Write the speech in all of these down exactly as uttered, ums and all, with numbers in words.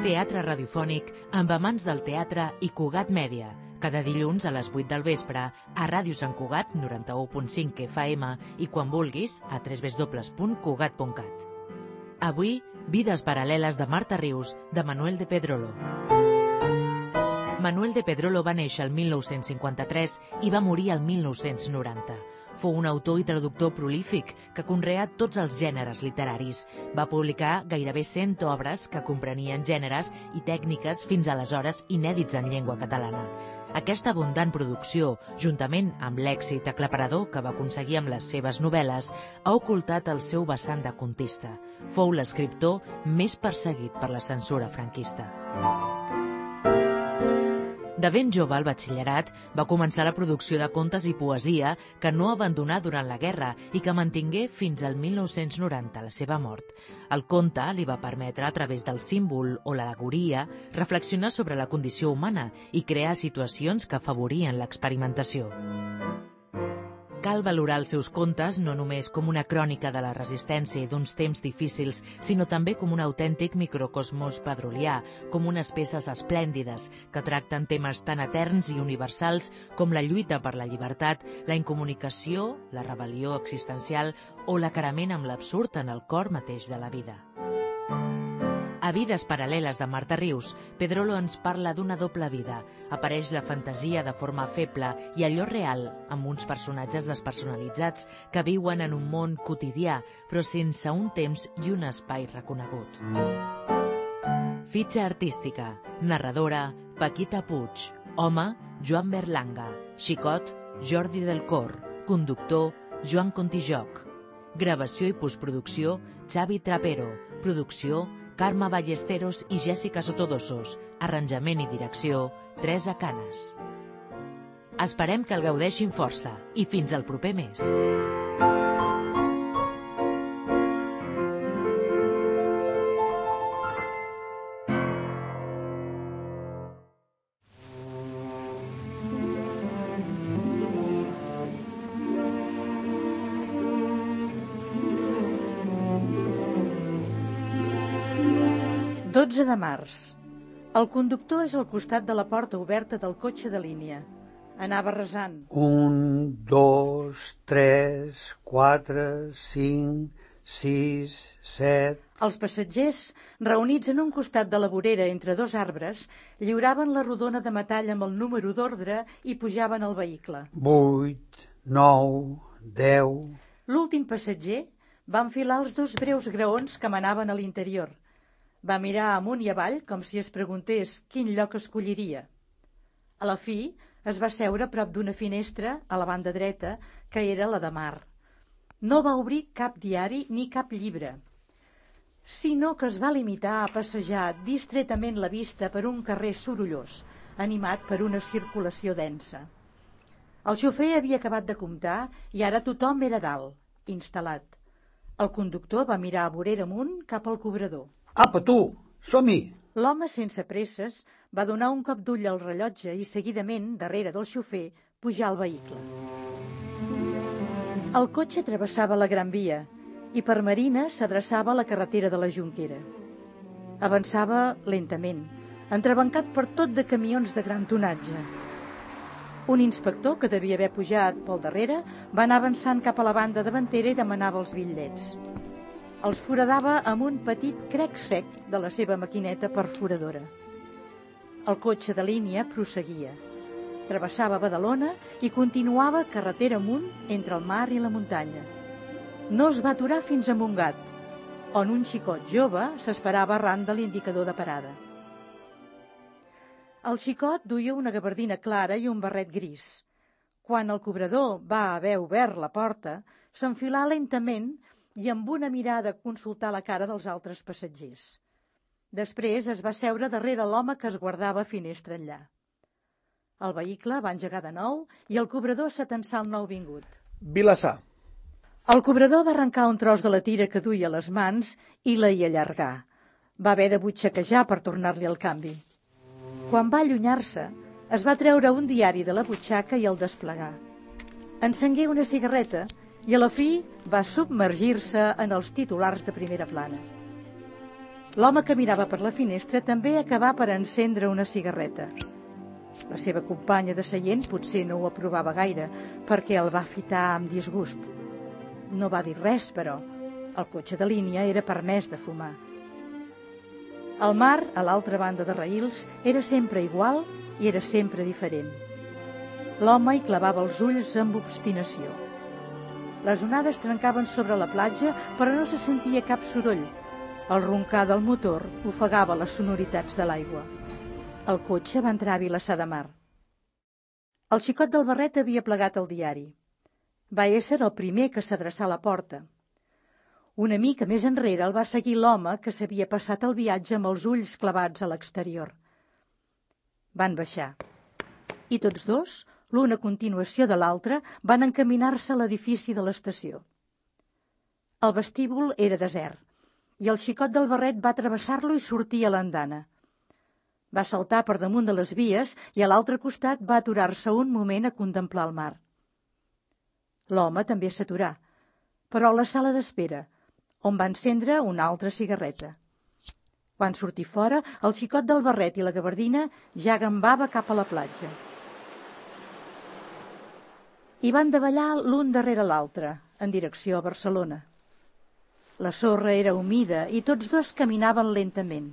Teatre radiofònic amb amants del teatre i Cugat Mèdia. Cada dilluns a les vuit del vespre a Ràdio Sant Cugat noranta-u punt cinc F M i quan vulguis a w w w punt cugat punt cat. Avui, Vides paral·leles de Marta Rius, de Manuel de Pedrolo. Manuel de Pedrolo va néixer el mil nou-cents cinquanta-tres i va morir el mil nou-cents noranta. Fou un autor i traductor prolífic que conreà tots els gèneres literaris. Va publicar gairebé cent obres que comprenien gèneres i tècniques fins aleshores inèdits en llengua catalana. Aquesta abundant producció, juntament amb l'èxit aclaparador que va aconseguir amb les seves novel·les, ha ocultat el seu vessant de contista. Fou l'escriptor més perseguit per la censura franquista. De ben jove al batxillerat va començar la producció de contes i poesia que no abandonà durant la guerra i que mantingué fins al mil nou-cents noranta, la seva mort. El conte li va permetre, a través del símbol o l'al·legoria, reflexionar sobre la condició humana i crear situacions que afavorien l'experimentació. Cal valorar els seus contes no només com una crònica de la resistència i d'uns temps difícils, sinó també com un autèntic microcosmos pedrolià, com unes peces esplèndides que tracten temes tan eterns i universals com la lluita per la llibertat, la incomunicació, la rebel·lió existencial o l'acarament amb l'absurd en el cor mateix de la vida. A Vides paral·leles de Marta Rius, Pedrolo ens parla d'una doble vida. Apareix la fantasia de forma feble i allò real, amb uns personatges despersonalitzats que viuen en un món quotidià, però sense un temps i un espai reconegut. Fitxa artística. Narradora, Paquita Puig. Home, Joan Berlanga. Xicot, Jordi del Cor. Conductor, Joan Contijoc. Gravació i postproducció, Xavi Trapero. Producció, Carme Ballesteros i Jèssica Sotodosos. Arranjament i direcció, Teresa Canes. Esperem que el gaudeixin força i fins al proper mes. dotze de març. El conductor és al costat de la porta oberta del cotxe de línia. Anava resant. Un, dos, tres, quatre, cinc, sis, set... Els passatgers, reunits en un costat de la vorera entre dos arbres, lliuraven la rodona de metall amb el número d'ordre i pujaven al vehicle. Vuit, nou, deu... L'últim passatger va enfilar els dos breus graons que manaven a l'interior. Va mirar amunt i avall com si es preguntés quin lloc escolliria. A la fi, es va seure a prop d'una finestra, a la banda dreta, que era la de mar. No va obrir cap diari ni cap llibre, sinó que es va limitar a passejar distretament la vista per un carrer sorollós, animat per una circulació densa. El xofer havia acabat de comptar i ara tothom era dalt, instal·lat. El conductor va mirar a vorera amunt cap al cobrador. Apa, tu, som-hi! L'home, sense presses, va donar un cop d'ull al rellotge i, seguidament, darrere del xofer, pujar al vehicle. El cotxe travessava la Gran Via i per Marina s'adreçava a la carretera de la Jonquera. Avançava lentament, entrebancat per tot de camions de gran tonatge. Un inspector, que devia haver pujat pel darrere, va anar avançant cap a la banda davantera i demanava els bitllets. Els foradava amb un petit crec sec de la seva maquineta perforadora. El cotxe de línia prosseguia. Travessava Badalona i continuava carretera amunt entre el mar i la muntanya. No es va aturar fins a Montgat, on un xicot jove s'esperava arran de l'indicador de parada. El xicot duia una gabardina clara i un barret gris. Quan el cobrador va haver obert la porta, s'enfilà lentament i amb una mirada consultar la cara dels altres passatgers. Després es va seure darrere l'home que es guardava finestra enllà. El vehicle va engegar de nou i el cobrador s'atensà al nouvingut. Vilassar. El cobrador va arrencar un tros de la tira que duia a les mans i la hi allargà. Va haver de butxaquejar per tornar-li el canvi. Quan va allunyar-se, es va treure un diari de la butxaca i el desplegar. Encengué una cigarreta i a la fi va submergir-se en els titulars de primera plana. L'home que mirava per la finestra també acabà per encendre una cigarreta. La seva companya de seient potser no ho aprovava gaire, perquè el va fitar amb disgust. No va dir res, però el cotxe de línia era permès de fumar. El mar, a l'altra banda de raïls, era sempre igual i era sempre diferent. L'home hi clavava els ulls amb obstinació. Les onades trencaven sobre la platja, però no se sentia cap soroll. El roncar del motor ofegava les sonoritats de l'aigua. El cotxe va entrar a Vilassar de Mar. El xicot del barret havia plegat el diari. Va ésser el primer que s'adreçà a la porta. Una mica més enrere el va seguir l'home que s'havia passat el viatge amb els ulls clavats a l'exterior. Van baixar. I tots dos, l'un a continuació de l'altre, van encaminar-se a l'edifici de l'estació. El vestíbul era desert, i el xicot del barret va travessar-lo i sortir a l'andana. Va saltar per damunt de les vies i a l'altre costat va aturar-se un moment a contemplar el mar. L'home també s'aturà, però a la sala d'espera, on va encendre una altra cigarreta. Quan sortir fora, el xicot del barret i la gabardina ja gambava cap a la platja. I van davallar l'un darrere l'altre, en direcció a Barcelona. La sorra era humida i tots dos caminaven lentament.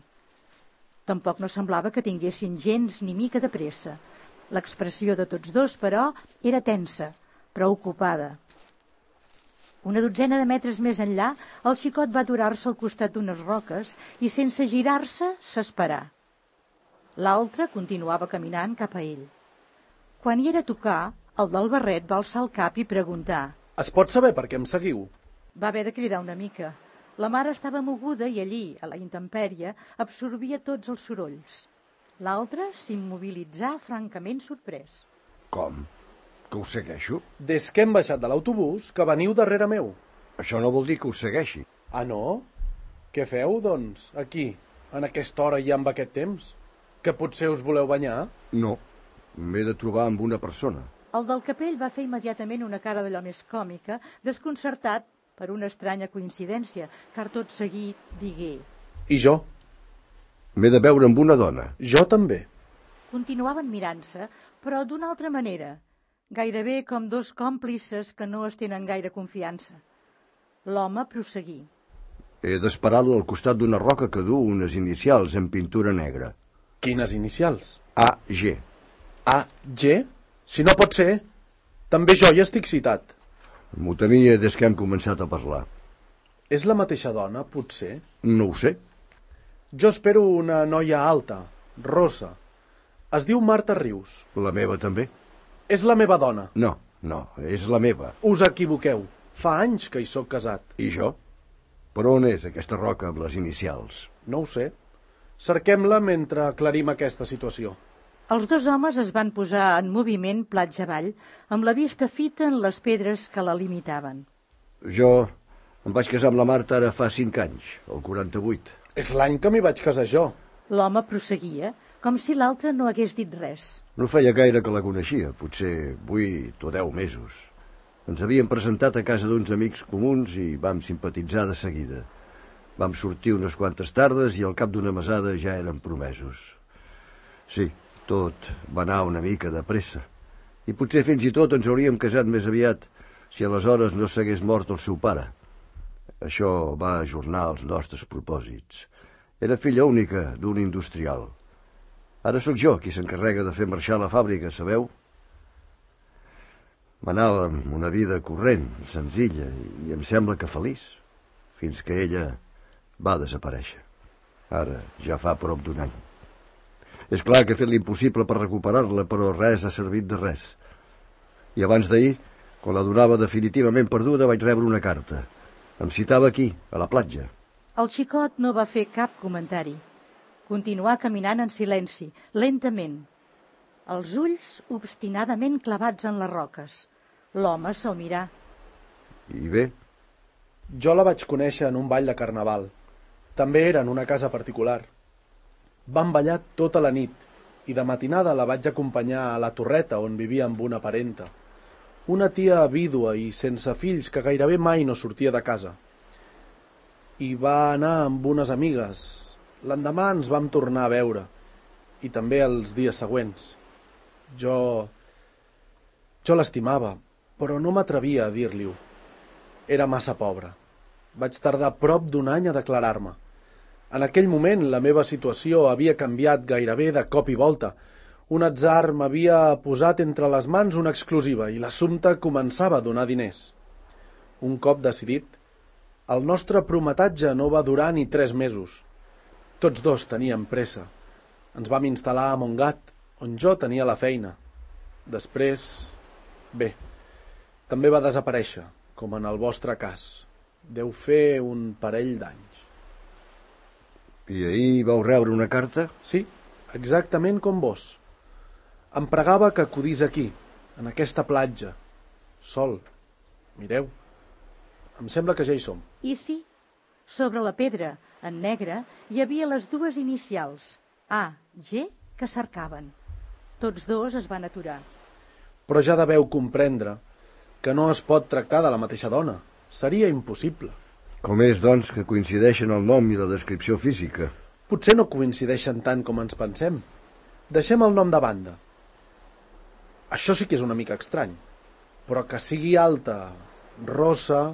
Tampoc no semblava que tinguessin gens ni mica de pressa. L'expressió de tots dos, però, era tensa, preocupada. Una dotzena de metres més enllà, el xicot va aturar-se al costat d'unes roques i, sense girar-se, s'esperà. L'altre continuava caminant cap a ell. Quan hi era a tocar, el del barret va alçar el cap i preguntar: Es pot saber per què em seguiu? Va haver de cridar una mica. La mar estava moguda i allí, a la intempèrie, absorbia tots els sorolls. L'altre s'immobilitzà francament sorprès. Com? Que us segueixo? Des que hem baixat de l'autobús, que veniu darrere meu. Això no vol dir que us segueixi. Ah, no? Què feu, doncs, aquí, en aquesta hora i amb aquest temps? Que potser us voleu banyar? No, m'he de trobar amb una persona. El del capell va fer immediatament una cara d'allò més còmica, desconcertat per una estranya coincidència, car tot seguit digué: I jo? M'he de veure amb una dona. Jo també. Continuaven mirant-se, però d'una altra manera, gairebé com dos còmplices que no es tenen gaire confiança. L'home prosseguí: He d'esperar-lo al costat d'una roca que du unes inicials en pintura negra. Quines inicials? A G. A G? Si no pot ser, també jo hi estic citat. M'ho temia des que hem començat a parlar. És la mateixa dona, potser? No ho sé. Jo espero una noia alta, rossa. Es diu Marta Rius. La meva també? És la meva dona. No, no, és la meva. Us equivoqueu. Fa anys que hi sóc casat. I jo? Per on és aquesta roca amb les inicials? No ho sé. Cerquem-la mentre aclarim aquesta situació. Els dos homes es van posar en moviment platja avall, amb la vista fita en les pedres que la limitaven. Jo em vaig casar amb la Marta ara fa cinc anys, el quaranta-vuit. És l'any que m'hi vaig casar jo. L'home prosseguia, com si l'altre no hagués dit res. No feia gaire que la coneixia, potser vuit o deu mesos. Ens havíem presentat a casa d'uns amics comuns i vam simpatitzar de seguida. Vam sortir unes quantes tardes i al cap d'una mesada ja érem promesos. Sí, tot va anar una mica de pressa. I potser fins i tot ens hauríem casat més aviat si aleshores no s'hagués mort el seu pare. Això va ajornar els nostres propòsits. Era filla única d'un industrial. Ara sóc jo qui s'encarrega de fer marxar la fàbrica, sabeu? M'anava amb una vida corrent, senzilla, i em sembla que feliç, fins que ella va desaparèixer. Ara ja fa prop d'un any. És clar que he fet l'impossible per recuperar-la, però res ha servit de res. I abans d'ahir, quan la donava definitivament perduda, vaig rebre una carta. Em citava aquí, a la platja. El xicot no va fer cap comentari. Continuà caminant en silenci, lentament, els ulls obstinadament clavats en les roques. L'home se'l mirà. I bé? Jo la vaig conèixer en un ball de carnaval. També era en una casa particular. Vam ballar tota la nit i de matinada la vaig acompanyar a la Torreta on vivia amb una parenta. Una tia vídua i sense fills que gairebé mai no sortia de casa. I va anar amb unes amigues. L'endemà ens vam tornar a veure. I també els dies següents. Jo... Jo l'estimava, però no m'atrevia a dir-li-ho. Era massa pobra. Vaig tardar prop d'un any a declarar-me. En aquell moment la meva situació havia canviat gairebé de cop i volta. Un atzar m'havia posat entre les mans una exclusiva i l'assumpte començava a donar diners. Un cop decidit, el nostre prometatge no va durar ni tres mesos. Tots dos teníem pressa. Ens vam instal·lar a Montgat, on jo tenia la feina. Després, bé, també va desaparèixer, com en el vostre cas. Deu fer un parell d'anys. I ahir vau rebre una carta? Sí, exactament com vos. Em pregava que acudís aquí, en aquesta platja, sol. Mireu, em sembla que ja hi som. I sí, sobre la pedra, en negre, hi havia les dues inicials, A, G, que cercaven. Tots dos es van aturar. Però ja deveu comprendre que no es pot tractar de la mateixa dona. Seria impossible. Com és, doncs, que coincideixen el nom i la descripció física? Potser no coincideixen tant com ens pensem. Deixem el nom de banda. Això sí que és una mica estrany. Però que sigui alta, rossa...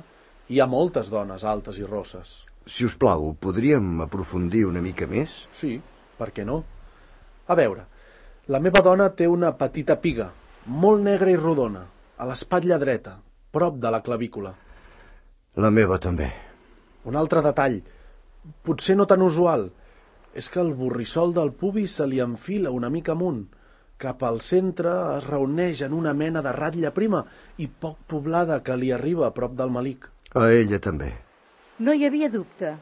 Hi ha moltes dones altes i rosses. Si us plau, podríem aprofundir una mica més? Sí, per què no? A veure, la meva dona té una petita piga, molt negra i rodona, a l'espatlla dreta, prop de la clavícula. La meva també. Un altre detall, potser no tan usual, és que el borrissol del pubis se li enfila una mica amunt. Cap al centre es reuneix en una mena de ratlla prima i poc poblada que li arriba a prop del melic. A ella també. No hi havia dubte.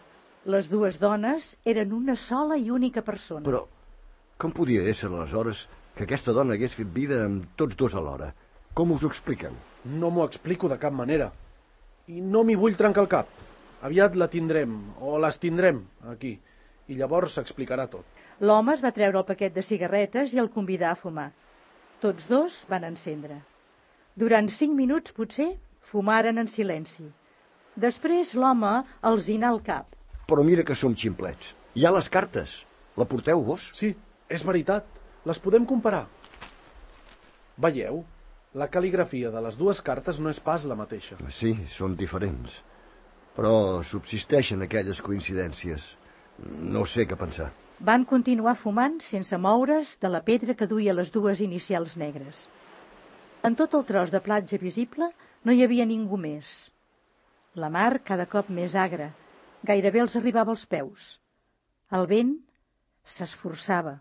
Les dues dones eren una sola i única persona. Però com podia ésser aleshores que aquesta dona hagués fet vida amb tots dos alhora? Com us ho expliqueu? No m'ho explico de cap manera. I no m'hi vull trencar el cap. Aviat la tindrem, o les tindrem, aquí. I llavors s'explicarà tot. L'home es va treure el paquet de cigarretes i el convidà a fumar. Tots dos van encendre. Durant cinc minuts, potser, fumaren en silenci. Després l'home els hinà el cap. Però mira que som ximplets. Hi ha les cartes. La porteu vos? Sí, és veritat. Les podem comparar. Veieu? La cal·ligrafia de les dues cartes no és pas la mateixa. Sí, són diferents. Però subsisteixen aquelles coincidències. No sé què pensar. Van continuar fumant sense moure's de la pedra que duia les dues inicials negres. En tot el tros de platja visible no hi havia ningú més. La mar cada cop més agra, gairebé els arribava als peus. El vent s'esforçava.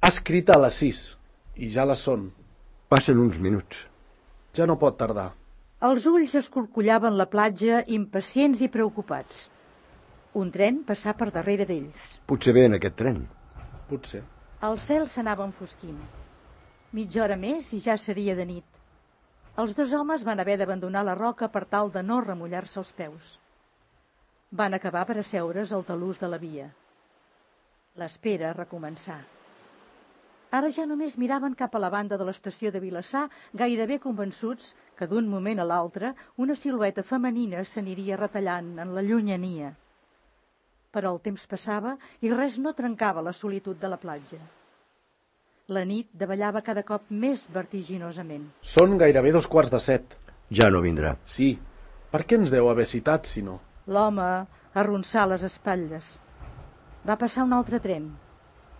Ha escrit a les sis, i ja les són. Passen uns minuts. Ja no pot tardar. Els ulls escorcollaven la platja, impacients i preocupats. Un tren passà per darrere d'ells. Potser ve en aquest tren. Potser. El cel s'anava enfosquint. Mitja hora més i ja seria de nit. Els dos homes van haver d'abandonar la roca per tal de no remullar-se els peus. Van acabar per asseure's al talús de la via. L'espera recomençà. Ara ja només miraven cap a la banda de l'estació de Vilassar, gairebé convençuts que d'un moment a l'altre una silueta femenina s'aniria retallant en la llunyania. Però el temps passava i res no trencava la solitud de la platja. La nit davallava cada cop més vertiginosament. Són gairebé dos quarts de set. Ja no vindrà. Sí. Per què ens deu haver citat, si no? L'home arronsà les espatlles. Va passar un altre tren.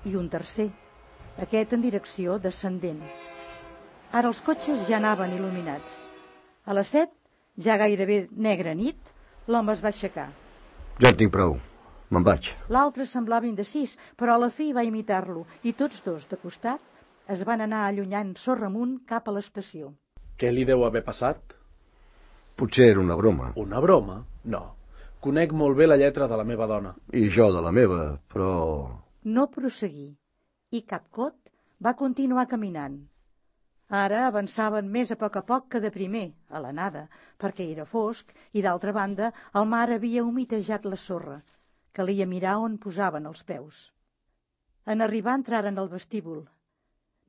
I un tercer. Aquest en direcció descendent. Ara els cotxes ja anaven il·luminats. A les set, ja gairebé negra nit, l'home es va aixecar. Ja en tinc prou. Me'n vaig. L'altre semblava indecís, però a la fi va imitar-lo, i tots dos, de costat, es van anar allunyant sorra amunt cap a l'estació. Què li deu haver passat? Potser era una broma. Una broma? No. Conec molt bé la lletra de la meva dona. I jo de la meva, però... No prosseguí, i Capcot va continuar caminant. Ara avançaven més a poc a poc que de primer, a la nada, perquè era fosc i, d'altra banda, el mar havia humitejat la sorra. Calia mirar on posaven els peus. En arribar entraren al vestíbul.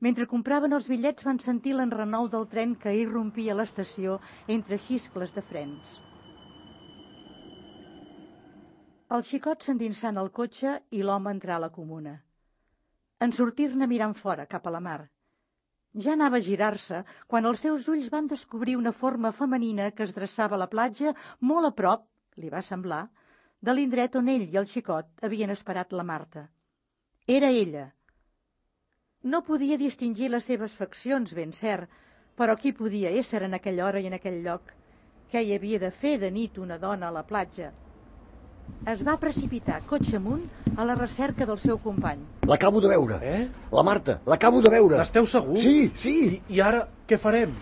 Mentre compraven els bitllets van sentir l'enrenou del tren que irrompia a l'estació entre xiscles de frens. El xicot s'endinsant al cotxe i l'home entrar a la comuna. En sortir-ne mirant fora, cap a la mar. Ja anava a girar-se quan els seus ulls van descobrir una forma femenina que es dreçava a la platja molt a prop, li va semblar, de l'indret on ell i el xicot havien esperat la Marta. Era ella. No podia distingir les seves faccions, ben cert, però qui podia ésser en aquella hora i en aquell lloc? Què hi havia de fer de nit una dona a la platja? Es va precipitar, cotxe amunt, a la recerca del seu company. L'acabo de veure. Eh? La Marta, l'acabo de veure. N'esteu segur? Sí, sí. I, I ara què farem?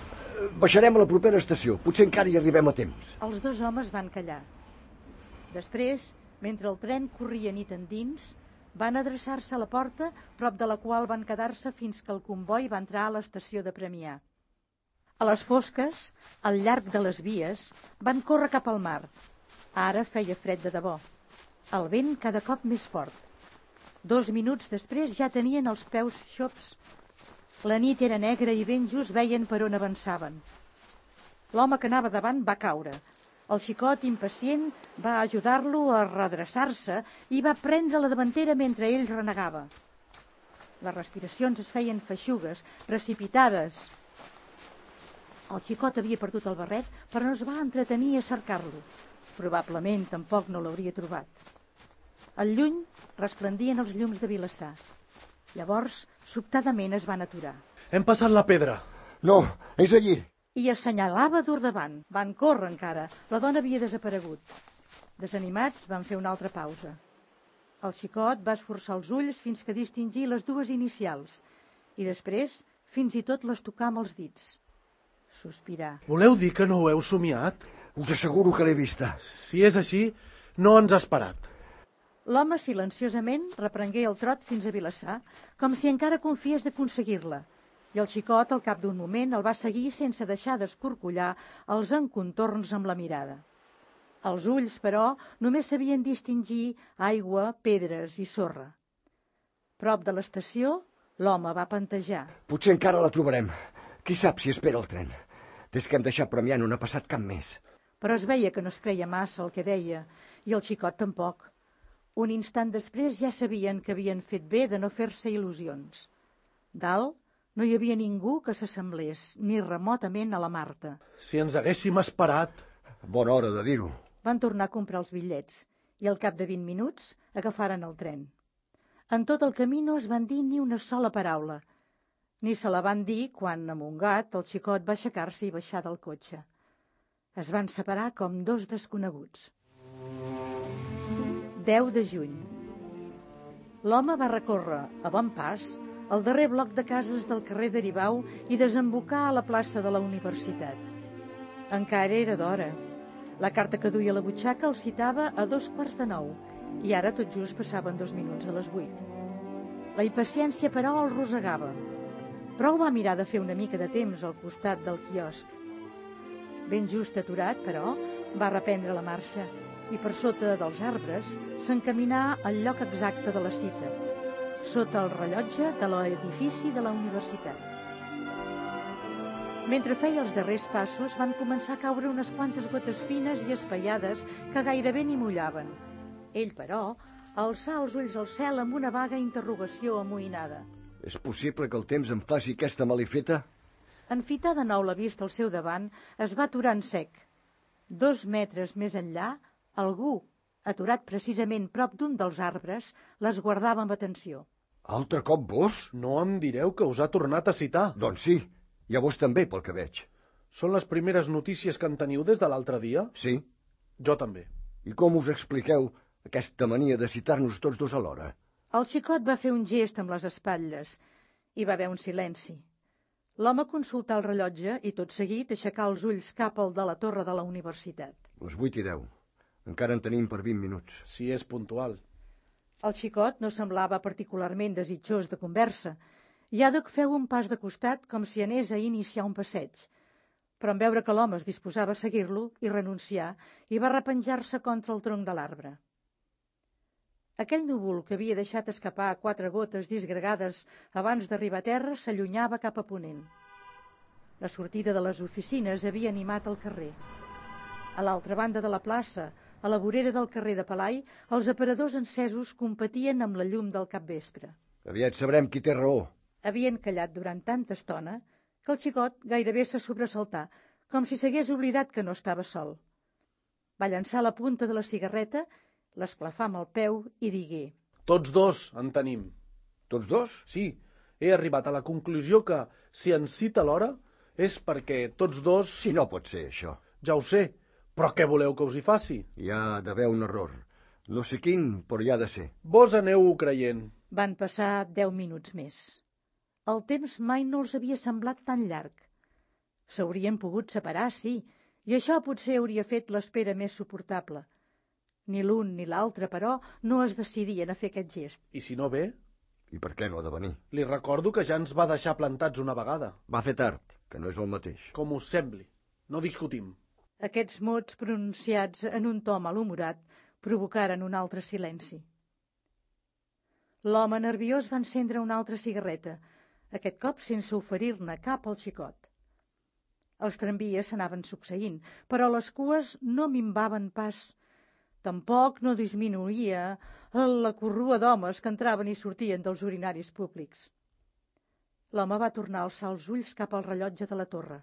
Baixarem a la propera estació. Potser encara hi arribem a temps. Els dos homes van callar. Després, mentre el tren corria nit endins, van adreçar-se a la porta, prop de la qual van quedar-se fins que el comboi va entrar a l'estació de Premià. A les fosques, al llarg de les vies, van córrer cap al mar. Ara feia fred de debò. El vent cada cop més fort. Dos minuts després ja tenien els peus xops. La nit era negra i ben just veien per on avançaven. L'home que anava davant va caure. El xicot, impacient, va ajudar-lo a redreçar-se i va prendre la davantera mentre ell renegava. Les respiracions es feien feixugues, precipitades. El xicot havia perdut el barret, però no es va entretenir a cercar-lo. Probablement tampoc no l'hauria trobat. Al lluny resplendien els llums de Vilassar. Llavors, sobtadament es van aturar. Hem passat la pedra. No, és allí. I assenyalava dur davant. Van córrer encara. La dona havia desaparegut. Desanimats, van fer una altra pausa. El xicot va esforçar els ulls fins que distingí les dues inicials i després fins i tot les tocà amb els dits. Sospirar. Voleu dir que no ho heu somiat? Us asseguro que l'he vista. Si és així, no ens ha esperat. L'home silenciosament reprengué el trot fins a Vilassar, com si encara confiés d'aconseguir-la, i el xicot, al cap d'un moment, el va seguir sense deixar d'escorcollar els encontorns amb la mirada. Els ulls, però, només sabien distingir aigua, pedres i sorra. Prop de l'estació, l'home va pantejar. Potser encara la trobarem. Qui sap si espera el tren? Des que hem deixat Premià no n'ha passat cap més. Però es veia que no es creia massa el que deia, i el xicot tampoc. Un instant després ja sabien que havien fet bé de no fer-se il·lusions. Dalt no hi havia ningú que s'assemblés, ni remotament a la Marta. Si ens haguéssim esperat... Bona hora de dir-ho. Van tornar a comprar els bitllets, i al cap de vint minuts agafaren el tren. En tot el camí no es van dir ni una sola paraula. Ni se la van dir quan, amungat, el xicot va aixecar-se i baixar del cotxe. Es van separar com dos desconeguts. deu de juny. L'home va recórrer, a bon pas, el darrer bloc de cases del carrer d'Aribau i desembocar a la plaça de la universitat. Encara era d'hora. La carta que duia a la butxaca el citava a dos quarts de nou i ara tot just passaven dos minuts de les vuit. La impaciència, però, el rosegava. Prou va mirar de fer una mica de temps al costat del quiosc. Ben just aturat, però, va reprendre la marxa i per sota dels arbres s'encaminà al lloc exacte de la cita, sota el rellotge de l'edifici de la universitat. Mentre feia els darrers passos van començar a caure unes quantes gotes fines i espaiades que gairebé ni mullaven. Ell, però, alçà els ulls al cel amb una vaga interrogació amoïnada. És possible que el temps em faci aquesta malifeta? En fitar de nou la vista al seu davant, es va aturar en sec. Dos metres més enllà, algú, aturat precisament prop d'un dels arbres, les guardava amb atenció. Altre cop vos? No em direu que us ha tornat a citar. Doncs sí, i a vos també, pel que veig. Són les primeres notícies que en teniu des de l'altre dia? Sí. Jo també. I com us expliqueu aquesta mania de citar-nos tots dos alhora? El xicot va fer un gest amb les espatlles. Hi va haver un silenci. L'home consultà el rellotge i, tot seguit, aixecà els ulls cap al de la torre de la universitat. Les vuit i deu. Encara en tenim per vint minuts. Si és puntual. El xicot no semblava particularment desitjós de conversa Iàdoc feu un pas de costat com si anés a iniciar un passeig, però en veure que l'home es disposava a seguir-lo, hi renuncià i va repenjar-se contra el tronc de l'arbre. Aquell núvol que havia deixat escapar quatre gotes disgregades abans d'arribar a terra s'allunyava cap a ponent. La sortida de les oficines havia animat el carrer. A l'altra banda de la plaça, a la vorera del carrer de Pelai, els aparadors encesos competien amb la llum del capvespre. Aviat sabrem qui té raó. Havien callat durant tanta estona que el xicot gairebé se sobresaltà, com si s'hagués oblidat que no estava sol. Va llançar la punta de la cigarreta, l'esclafà amb el peu i digué: Tots dos en tenim. Tots dos? Sí, he arribat a la conclusió que, si ens cita l'hora, és perquè tots dos... Si no pot ser, això. Ja ho sé, però què voleu que us hi faci? Hi ha d'haver un error. No sé quin, però hi ha de ser. Vos aneu-ho creient. Van passar deu minuts més. El temps mai no els havia semblat tan llarg. S'haurien pogut separar, sí, i això potser hauria fet l'espera més suportable. Ni l'un ni l'altre, però, no es decidien a fer aquest gest. I si no ve? I per què no ha de venir? Li recordo que ja ens va deixar plantats una vegada. Va fer tard, que no és el mateix. Com us sembli. No discutim. Aquests mots pronunciats en un to malhumorat provocaren un altre silenci. L'home nerviós va encendre una altra cigarreta, aquest cop sense oferir-ne cap al xicot. Els tramvies s'anaven succeint, però les cues no minvaven pas. Tampoc no disminuïa la corrua d'homes que entraven i sortien dels urinaris públics. L'home va tornar a alçar els ulls cap al rellotge de la torre.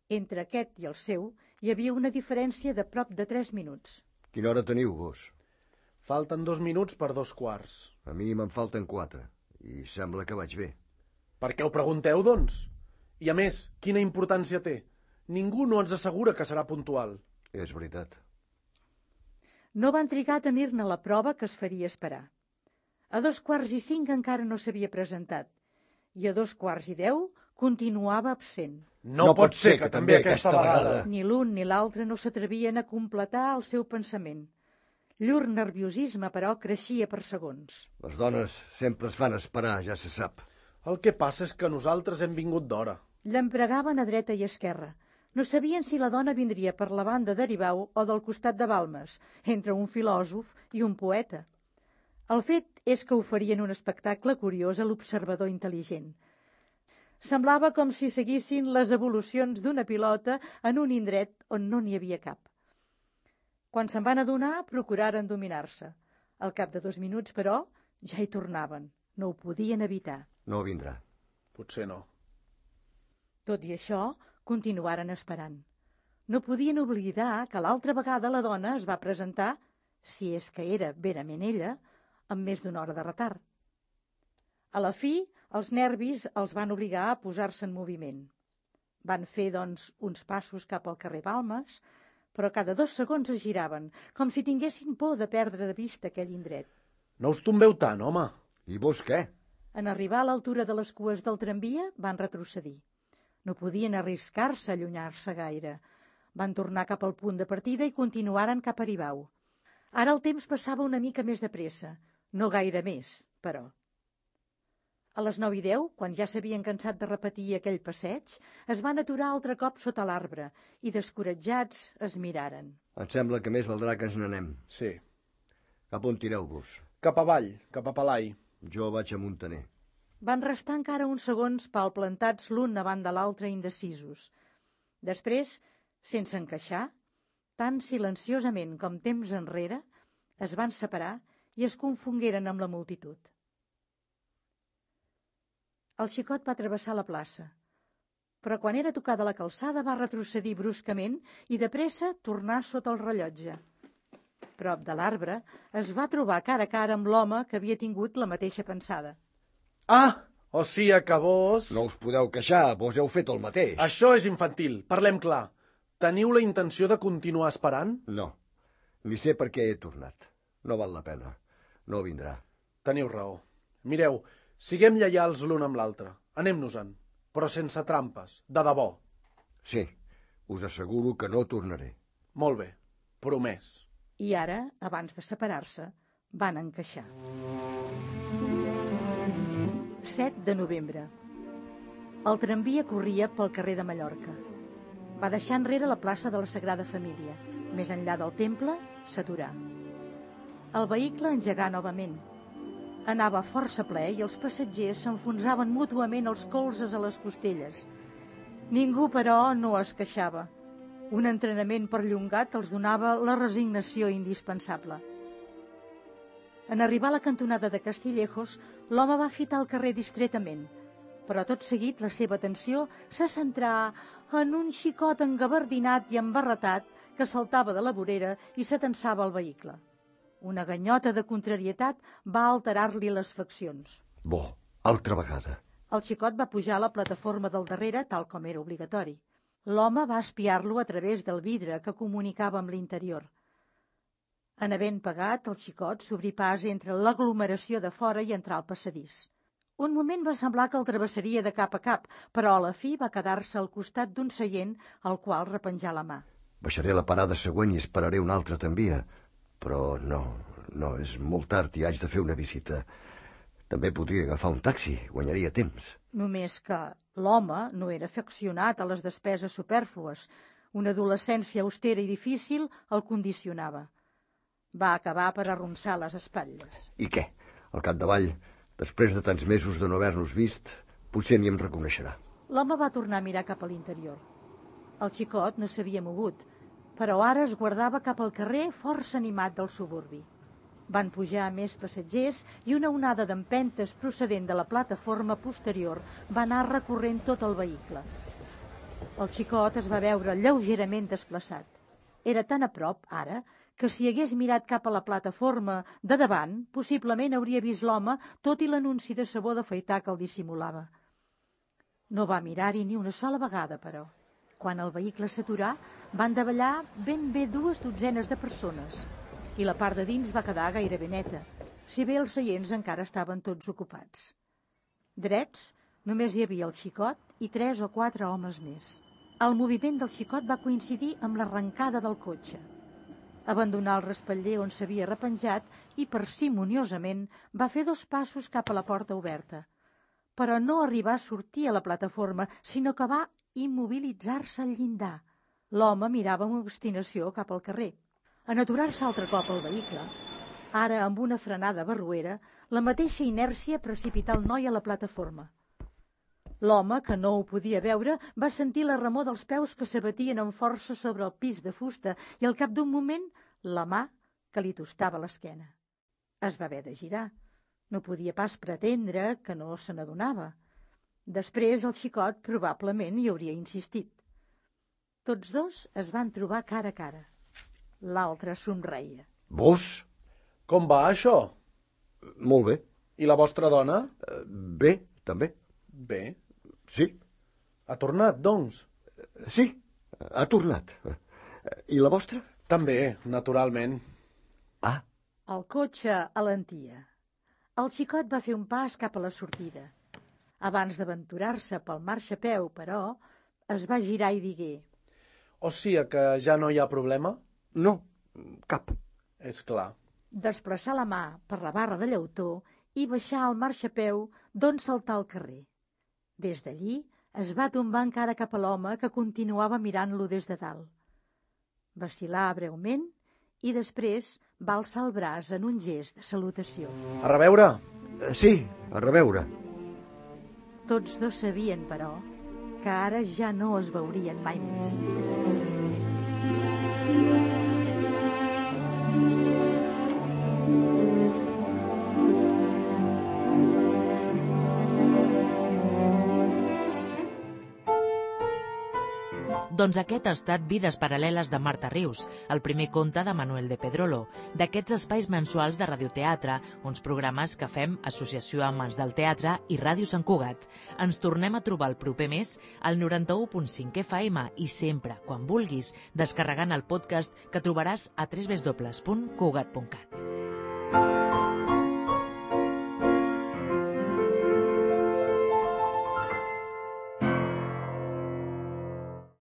Entre aquest i el seu hi havia una diferència de prop de tres minuts. Quina hora teniu, vos? Falten dos minuts per dos quarts. A mi me'n falten quatre, i sembla que vaig bé. Per què ho pregunteu, doncs? I a més, quina importància té? Ningú no ens assegura que serà puntual. És veritat. No van trigar a tenir-ne la prova que es faria esperar. A dos quarts i cinc encara no s'havia presentat, i a dos quarts i deu continuava absent. No, no pot ser que, que també aquesta vegada... Ni l'un ni l'altre no s'atrevien a completar el seu pensament. Llur nerviosisme, però, creixia per segons. Les dones sempre es fan esperar, ja se sap. El que passa és que nosaltres hem vingut d'hora. L'empregaven a dreta i esquerra. No sabien si la dona vindria per la banda d'Aribau o del costat de Balmes, entre un filòsof i un poeta. El fet és que oferien un espectacle curiós a l'observador intel·ligent. Semblava com si seguissin les evolucions d'una pilota en un indret on no n'hi havia cap. Quan se'n van adonar, procuraren dominar-se. Al cap de dos minuts, però, ja hi tornaven. No ho podien evitar. No vindrà. Potser no. Tot i això, continuaren esperant. No podien oblidar que l'altra vegada la dona es va presentar, si és que era verament ella, amb més d'una hora de retard. A la fi, els nervis els van obligar a posar-se en moviment. Van fer, doncs, uns passos cap al carrer Balmes, però cada dos segons es giraven, com si tinguessin por de perdre de vista aquell indret. No us tombeu tant, home. I vos què? En arribar a l'altura de les cues del tramvia, van retrocedir. No podien arriscar-se a allunyar-se gaire. Van tornar cap al punt de partida i continuaren cap a Aribau. Ara el temps passava una mica més de pressa, no gaire més, però. A les nou i deu, quan ja s'havien cansat de repetir aquell passeig, es van aturar altre cop sota l'arbre i, descoratjats, es miraren. Em sembla que més valdrà que ens n'anem. Sí. Cap on tireu-vos? Cap avall, cap a Pelai. Jo vaig a Muntaner. Van restar encara uns segons palplantats l'un davant de l'altre indecisos. Després, sense encaixar, tan silenciosament com temps enrere, es van separar i es confongueren amb la multitud. El xicot va travessar la plaça, però quan era tocada la calçada va retrocedir bruscament i de pressa tornar sota el rellotge. Prop de l'arbre es va trobar cara a cara amb l'home que havia tingut la mateixa pensada. Ah, o sigui que vos... No us podeu queixar, vos heu fet el mateix. Això és infantil, parlem clar. Teniu la intenció de continuar esperant? No, ni sé per què he tornat. No val la pena, no vindrà. Teniu raó. Mireu, siguem lleials l'un amb l'altre. Anem-nos-en, però sense trampes, de debò. Sí, us asseguro que no tornaré. Molt bé, promès. I ara, abans de separar-se, van encaixar. set de novembre. El tramvia corria pel carrer de Mallorca. Va deixar enrere la plaça de la Sagrada Família. Més enllà del temple, s'aturà. El vehicle engegà novament. Anava força ple i els passatgers s'enfonsaven mútuament els colzes a les costelles. Ningú, però, no es queixava. Un entrenament perllongat els donava la resignació indispensable. En arribar a la cantonada de Castillejos, l'home va fitar el carrer distretament, però tot seguit la seva atenció se centrà en un xicot engabardinat i embarretat que saltava de la vorera i s'atensava al vehicle. Una ganyota de contrarietat va alterar-li les faccions. Bo, altra vegada. El xicot va pujar a la plataforma del darrere, tal com era obligatori. L'home va espiar-lo a través del vidre que comunicava amb l'interior. En havent pagat, el xicot s'obrí pas entre l'aglomeració de fora i entrar al passadís. Un moment va semblar que el travessaria de cap a cap, però a la fi va quedar-se al costat d'un seient al qual repenjar la mà. Baixaré a la parada següent i esperaré una altra tramvia. Però no, no, és molt tard i haig de fer una visita. També podria agafar un taxi, guanyaria temps. Només que l'home no era afeccionat a les despeses supèrflues. Una adolescència austera i difícil el condicionava. Va acabar per arronsar les espatlles. I què? Al capdavall, després de tants mesos de no haver-nos vist, potser ni em reconeixerà. L'home va tornar a mirar cap a l'interior. El xicot no s'havia mogut, però ara es guardava cap al carrer força animat del suburbi. Van pujar més passatgers i una onada d'empentes procedent de la plataforma posterior va anar recorrent tot el vehicle. El xicot es va veure lleugerament desplaçat. Era tan a prop, ara, que si hagués mirat cap a la plataforma de davant, possiblement hauria vist l'home, tot i l'anunci de sabó d'afaitar que el dissimulava. No va mirar-hi ni una sola vegada, però. Quan el vehicle s'aturà, van davallar ben bé dues dotzenes de persones i la part de dins va quedar gairebé neta, si bé els seients encara estaven tots ocupats. Drets, només hi havia el xicot i tres o quatre homes més. El moviment del xicot va coincidir amb l'arrencada del cotxe. Abandonà el respatller on s'havia repenjat i parsimoniosament va fer dos passos cap a la porta oberta, però no arribà a sortir a la plataforma, sinó que va immobilitzar-se al llindar. L'home mirava amb obstinació cap al carrer. En aturar-se altre cop al vehicle, ara amb una frenada barroera, la mateixa inèrcia precipità el noi a la plataforma. L'home, que no ho podia veure, va sentir la remor dels peus que s'abatien amb força sobre el pis de fusta i al cap d'un moment la mà que li tostava l'esquena. Es va haver de girar. No podia pas pretendre que no se n'adonava. Després el xicot probablement hi hauria insistit. Tots dos es van trobar cara a cara. L'altre somreia. Vos? Com va, això? Molt bé. I la vostra dona? Uh, bé, també. Bé. Sí. Ha tornat, doncs? Sí, ha tornat. I la vostra? També, naturalment. Ah. El cotxe alentia. El xicot va fer un pas cap a la sortida. Abans d'aventurar-se pel marxapeu, però, es va girar i digué: O sigui que ja no hi ha problema? No, cap. És clar. Desplaçar la mà per la barra de llautó i baixar al marxapeu d'on saltar al carrer. Des d'allí es va tombar encara cap a l'home que continuava mirant-lo des de dalt. Vacil·lar breument i després va alçar el braç en un gest de salutació. A reveure? Sí, a reveure. Tots dos sabien, però, que ara ja no es veurien mai més. Doncs aquest ha estat Vides paral·leles de Marta Rius, el primer conte de Manuel de Pedrolo, d'aquests espais mensuals de radioteatre, uns programes que fem Associació Amants del Teatre i Ràdio Sant Cugat. Ens tornem a trobar el proper mes al noranta-u punt cinc F M i sempre, quan vulguis, descarregant el podcast que trobaràs a w w w punt cugat punt cat.